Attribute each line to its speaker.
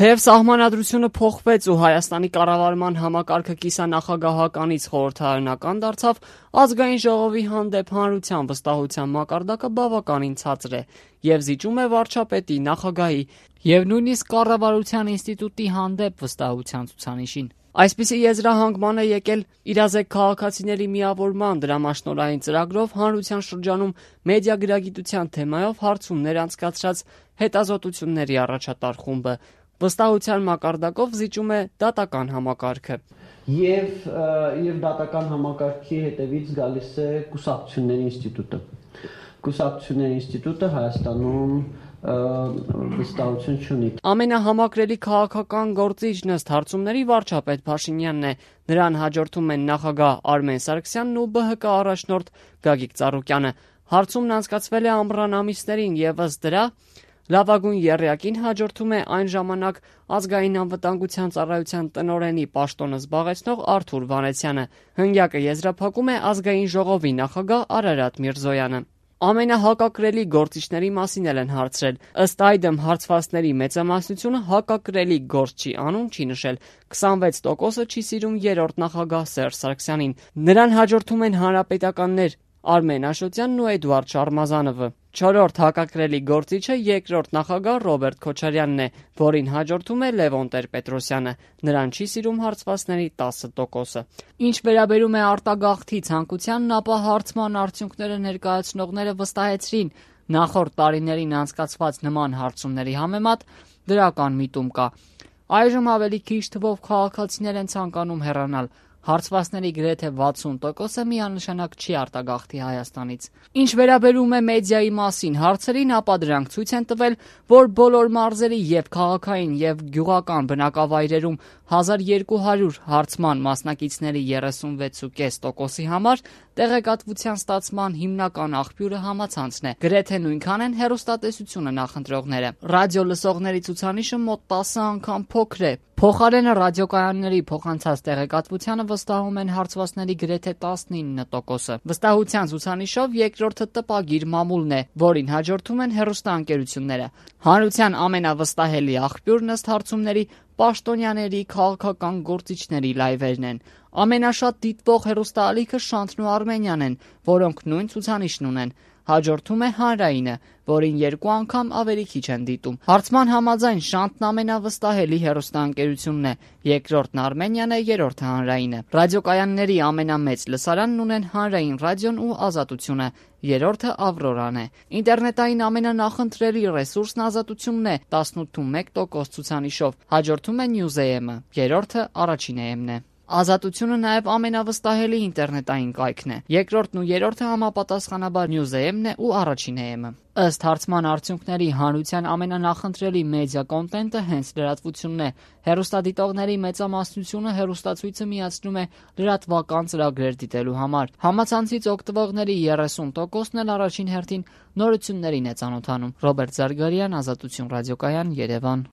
Speaker 1: Թեև սահմանադրությունը փոխվեց ու Հայաստանի կառավարման համակարգը կիսանախագահականից խորհրդարանական դարձավ, ազգային ժողովի հանդեպ հանրության վստահության մակարդակը բավականին ցածր է եւ զիջում է վարչապետի, նախագահի եւ նույնիսկ կառավարության ինստիտուտի հանդեպ վստահության ցուցանիշին։ Այսպիսի եզրահանգման է եկել իրազեկ քաղաքացիների միավորման դրամաշնորհային ծրագրով հանրության շրջանում մեդիագրագիտության թեմայով հարցումներ անցկացրած հետազոտությունների առաջատար խումբը։ Վստահության մակարդակով զիջում է դատական համակարգը։
Speaker 2: Եվ դատական համակարգի հետևից գալիս է կուսակցությունների ինստիտուտը։ Կուսակցությունների ինստիտուտը Հայաստանում վստահություն չունի։
Speaker 1: Ամենահամակրելի քաղաքական գործիչն ըստ հարցումների վարչապետ Փաշինյանն է։ Նրան հաջորդում են նախագահ Արմեն Սարգսյանն ու ԲՀԿ առաջնորդ Գագիկ Ծառուկյանը։ Հարցումն անցկացվել է ամռան ամիսներին եւ ըստ դրա լավագույն եռյակին հաջորդում է այն ժամանակ ազգային անվտանգության ծառայության տնօրենի պաշտոնը զբաղեցնող Արթուր Վանեցյանը։ Հնգյակը եզրափակում է ազգային ժողովի նախագահ Արարատ Միրզոյանը։ Ամենահակակրելի գործիչների մասին են հարցրել։ Ըստ այդմ հարցվածների մեծամասնությունը հակակրելի գործ չի անում, չի նշել։ 26%-ը չի սիրում երրորդ նախագահ Սերժ Սարգսյանին։ Նրան հաջորդում են հանրապետականներ Արմեն Աշոտյանն ու Էդուարդ Շարմազանովը։ Չորրորդ հակակրելի գործիչը երկրորդ նախագահ Ռոբերտ Քոչարյանն է, որին հաջորդում է Լևոն Տեր-Պետրոսյանը։ Նրան չի սիրում հարցվածների 10%-ը։ Ինչ վերաբերում է արտագաղթի ցանկությանն, ապա հարցման արդյունքները ներկայացնողները վստահեցրին նախորդ տարիներին անցկացված նման հարցումների համեմատ դրական միտում կա։ Այժմ ավելի քիչ թվով քաղաքացիներ են ցանկանում հեռանալ։ Հարցվածների գրեթե 60%-ը միանշանակ չի արտագաղթի Հայաստանից։ Ինչ վերաբերում է մեդիայի մասին հարցերին, ապա դրանք ցույց են տվել, որ բոլոր մարզերի եւ քաղաքային եւ գյուղական բնակավայրերում 1200 հարցման մասնակիցների 36.5%-ի համար տեղեկատվության ստացման հիմնական աղբյուրը համացանցն է։ Գրեթե նույնքան են հեռուստատեսությունը նախընտրողները։ Ռադիո լսողների ցուցանիշը մոտ 10 անգամ փոքր է։ Փոխարենը ռադիոկայանների փոխանցած տեղեկատվությանը վստահում են հարցվածների գրեթե 19%-ը։ Վստահության ցուցանիշով երկրորդը տպագիր մամուլն է, որին հաջորդում են հեռուստաընկերությունները։ Հանրության ամենավստահելի աղբյուրն ըստ հարցումների պաշտոնյաների, քաղաքական գործիչների լայվերն են։ Ամենաշատ դիտվող հեռուստաալիքը Շանթն ու Արմենիան են, որոնք նույն ցուցանիշն ունեն։ Հաջորդում է Հանրայինը, որին 2 անգամ ավելի քիչ են դիտում։ Հարցման համաձայն Շանթն ամենավստահելի հեռուստաընկերությունն է, երկրորդն Արմենիան է, երրորդը Հանրայինը։ Ռադիոկայանների ամենամեծ լսարանն ունեն Հանրային ռադիոն ու Ազատությունը, երրորդը Ավրորան է։ Ինտերնետային ամենանախընտրելի ռեսուրսն Ազատությունն է 18.1% ցուցանիշով, հաջորդում է News.am-ը, երրորդը Առաջին AM-ն է։ Ազատությունը նաև ամենավստահելի ինտերնետային կայքն է։ Երկրորդն ու երրորդը համապատասխանաբար News.am-ն է ու Առաջին AM-ը։ Ըստ հարցման արդյունքների հանրության ամենանախընտրելի մեդիա կոնտենտը հենց լրատվությունն է։ Հեռուստադիտողների մեծամասնությունը հեռուստացույցը միացնում է լրատվական ծրագրեր դիտելու համար։ Համացանցից օգտվողների 30%-ն էլ առաջին հերթին նորություններին է ծանոթանում։ Ռոբերտ Զարգարյան, Ազատություն ռադիոկայան, Երևան։